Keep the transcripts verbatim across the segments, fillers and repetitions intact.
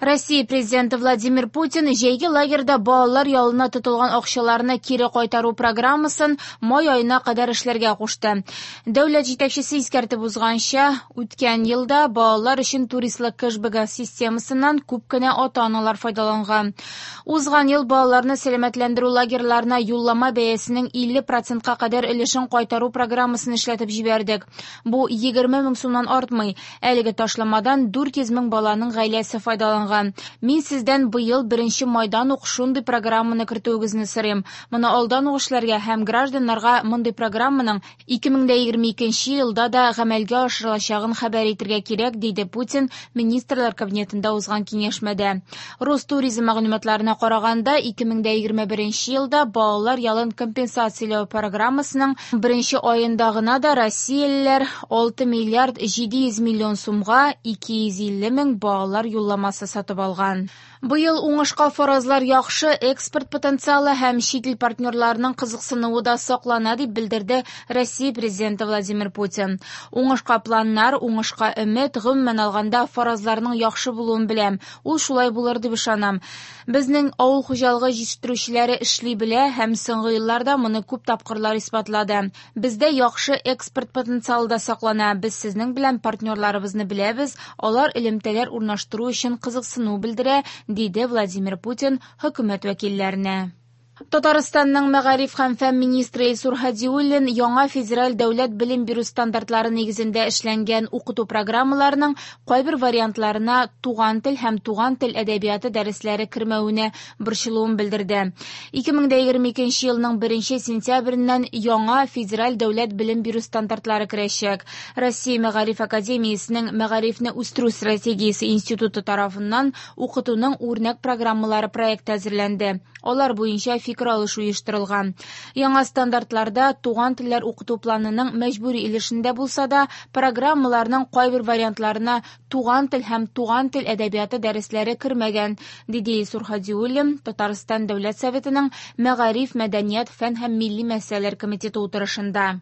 Россия президенты Владимир Путин җәйге лагерьда балалар ялына тотылган акчаларны кире кайтару программасын май аена кадәр эшләргә кушты. Дәүләт җитәкчесе искәртеп узганча, үткән елда балалар өчен туристлык кэшбэгы системасыннан күп кенә ата-аналар файдаланган. Узган ел балаларны сәламәтләндерү лагерьларына юллама бәясенең илле процентка кадәр өлешен кайтару программасын эшләтеп җибәрдек. Бу егерме мең сумнан артмый. Әлеге ташламадан дүрт йөз мең баланың гаиләсе файдаланган. Мин сездән быел беренче майдан ук шундый программаны кертүегезне сорыйм. Моны алдан ук эшләргә һәм гражданнарга мондый программаның ике мең дә егерме икенче елда да гамәлгә ашырылачагын хәбәр итергә кирәк, диде Путин Министрлар Кабинетында узган киңәшмәдә. Ростуризм мәгълүматларына караганда, ике мең дә егерме беренче елда балалар ялын компенсацияләү программасының беренче аенда гына да россиялеләр алты миллиард җиде йөз миллион сумга ике йөз илле мең балалар юлламасы сатып алган. Быел уңышка фаразлар яхшы, экспорт потенциалы һәм чит ил партнерларының кызыксынуы да саклана, дип белдерде Россия президенты Владимир Путин. Уңышка планнар, уңышка өмет, гомумән алганда фаразларның яхшы булуын беләм. Ул шулай булыр дип ышанам. Безнең авыл хуҗалыгы җитештерүчеләре эшли белә һәм соңгы елларда моны күп тапкырлар исбатлады. Бездә яхшы экспорт потенциалы да саклана. Без сезнең белән партнерларыбызны беләбез, алар элемтәләр урнаштыру өчен кызыксыну белдерә, диде Владимир Путин хөкүмәт вәкилләренә. Татарстанның мәгариф һәм фән министры Илсур Һадиуллин яңа федераль дәүләт белем бирү стандартлары нигезендә эшләнгән укыту программаларының кайбер вариантларына туган тел һәм туган тел әдәбияты дәресләре кермәвенә борчылуын белдерде. Ике мең дә егерме икенче елның беренче сентябреннән яңа федераль дәүләт белем бирү стандартлары керәчәк. Россия Мәгариф академиясенең Мәгарифне үстерү стратегиясе институты тарафыннан укытуның үрнәк программалары проекты әзерләнде. Алар буенча фикер алышу оештырылган. Яңа стандартларда туган телләр укыту планының мәҗбүри өлешендә булса да, программаларның кайбер вариантларына туган тел һәм туган тел әдәбияты дәресләре кермәгән, диде Илсур Һадиуллин Татарстан Дәүләт Советының Мәгариф, мәдәният, фән һәм милли мәсьәләләр комитеты утырышында.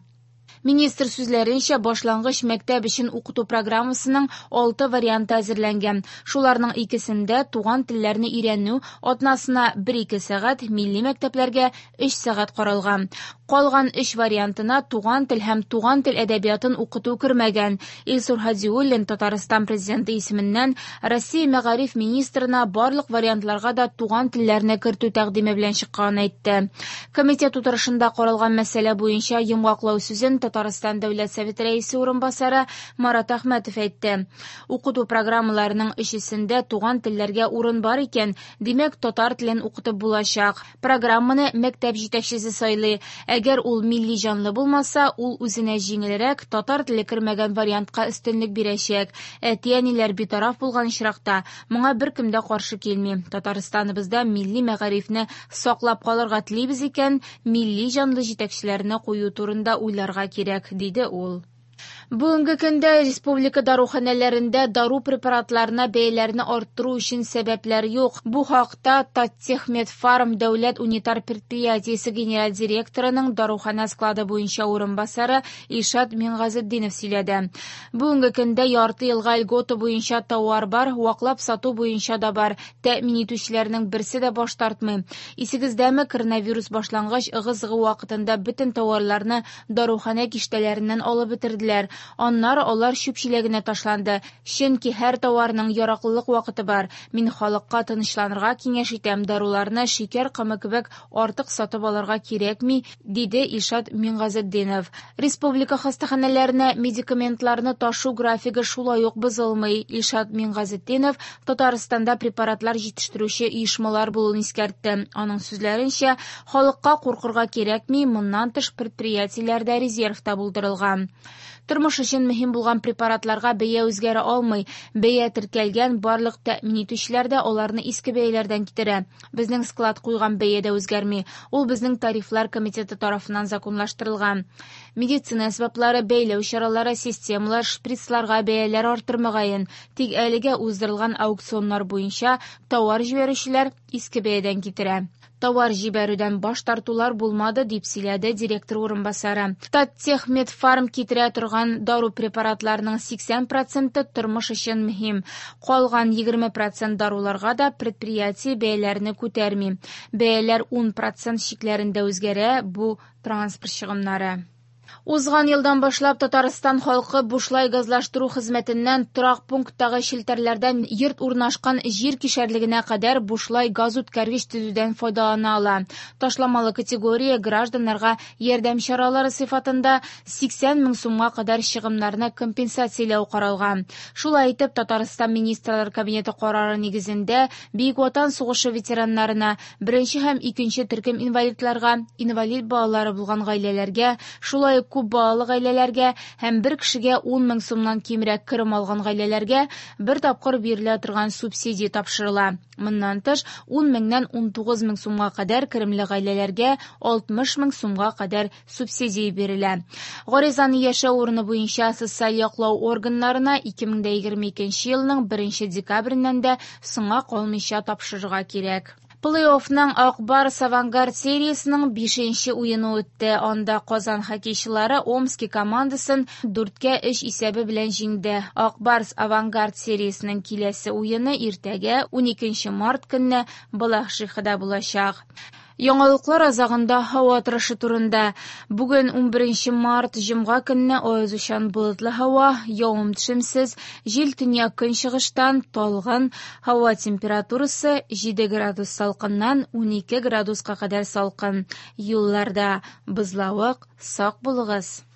Министр сүзләренчә, башлангыч мәктәп өчен укыту программасының алты варианты әзерләнгән. Шуларның икесендә туган телләрне өйрәнү атнасына бер-ике сәгать, милли мәктәпләргә өч сәгать каралган. Калган өч вариантына туган тел һәм туган тел әдәбиятын укыту кермәгән. Илсур Һадиуллин Татарстан президенты исеменнән Россия мәгариф министрына барлык вариантларга да туган телләрне кертү тәкъдиме белән чыкканын әйтте. Комитет утырышында каралган мәсьәлә буенча йомгаклау сүзен Татарстан Дәүләт Советы рәисе урынбасары Марат Әхмәтов әйтте. Укыту программаларының өчесендә туган телләргә урын бар икән, димәк, татар телен укытып булачак. Программаны мәктәп җитәкчесе сайлый. Әгәр ул милли җанлы булмаса, ул үзенә җиңелрәк татар теле кермәгән вариантка өстенлек бирәчәк. Әти-әниләр битараф булган очракта моңа беркем дә каршы килми. Татарстаныбызда милли мәгарифне саклап калырга телибез икән, милли җанлы җитәкчеләрне кую турында уйларга кирәк, диде ул. Бүгенге көндә республика даруханәләрендә дару препаратларына бәяләрне арттыру өчен сәбәпләр юк. Бу хакта Таттехмедфарм дәүләт унитар предприятиесе генераль директорының даруханә склады буенча урынбасары Илшат Мингазетдинов сөйләде. Бүгенге көндә ярты елга льгота буенча тауар бар, ваклап сату буенча да бар. Тәэмин итүчеләрнең берсе дә баш тартмый. Исегездәме, коронавирус башлангач ыгы-зыгы вакытында бөтен тауарларны даруханә киштәләреннән алып бетерделәр. Аннары алар чүп чиләгенә ташланды. Чөнки һәр тауарның яраклылык вакыты бар. Мин халыкка тынычланырга киңәш итәм. Даруларны шикәр комы кебек артык сатып алырга кирәкми, диде Илшат Мингазетдинов. Республика хастаханәләренә медикаментларны ташу графигы шулай ук бозылмый. Илшат Мингазетдинов Татарстанда препаратлар җитештерүче оешмалар булуын искәртте. Аның сүзләренчә, халыкка куркырга кирәкми, моннан тыш предприятиеләрдә резерв та булдырылган. Тормыш өчен мөһим булган препаратларга бәя үзгәрә алмый. Бәя теркәлгән барлык тәэмин итүчеләр дә аларны иске бәяләрдән китерә. Безнең склад куйган бәя дә үзгәрми. Ул безнең тарифлар комитеты тарафыннан законлаштырылган. Медицина әсбаплары, бәйләү чаралары, системалар, шприцларга бәяләр арттырмаган. Тик әлегә уздырылган аукционнар буенча тауар җибәрүчеләр иске бәядән китерә. Товар җибәрүдән баш тартулар булмады, дип сөйләде директор урынбасары. Таттехмедфарм китерә торган дару препаратларының сиксән проценты тормыш өчен мөһим. Калган егерме процент даруларга да предприятие бәяләрне күтәрми. Бәяләр ун процент чикләрендә үзгәрә, бу транспорт чыгымнары. Узган елдан башлап Татарстан халкы бушлай газлаштыру хезмәтеннән торак пункттагы челтәрләрдән йорт урнашкан җир кишәрлегенә кадәр бушлай газ үткәргеч төзүдән файдалана ала. Ташламалы категория гражданнарга ярдәм чаралары сыйфатында сиксән мең сумга кадәр чыгымнарны компенсацияләү каралган. Шулай итеп, Татарстан Министрлар Кабинеты карары нигезендә Бөек Ватан сугышы ветераннарына, беренче һәм икенче төркем инвалидларга, инвалид балалары булган гаиләләргә, шулай ук күп балалы гаиләләргә һәм бер кешегә ун мең сумнан кимрәк керем алган гаиләләргә бер тапкыр бирелә торган субсидия тапшырыла. Моннан тыш, ун меңнән ун тугыз мең сумга кадәр керемле гаиләләргә алтмыш мең сумга кадәр субсидия бирелә. Гаризаны яшәү урыны буенча социаль яклау органнарына ике мең дә егерме икенче елның беренче декабреннән дә соңга калмыйча тапшырырга кирәк. Плей-оффның Ак Барс Авангард сериясының бишенче уены үтте. Анда Казан хоккейчылары Омски командасын дүрткә өч исәбе белән җиңде. Ак Барс Авангард сериясының киләсе уены иртәгә уникенче март көнне Балашихада булачак. Яңалыклар азагында һава торышы турында. Бүген унберенче март җомга көнне аязучан болытлы һава, явым-төшемсез, җил төньяк көнчыгыштан талгын, һава температурасы җиде градус салкыннан унике градуска кадәр салкын. Юлларда бозлавык, сак булыгыз.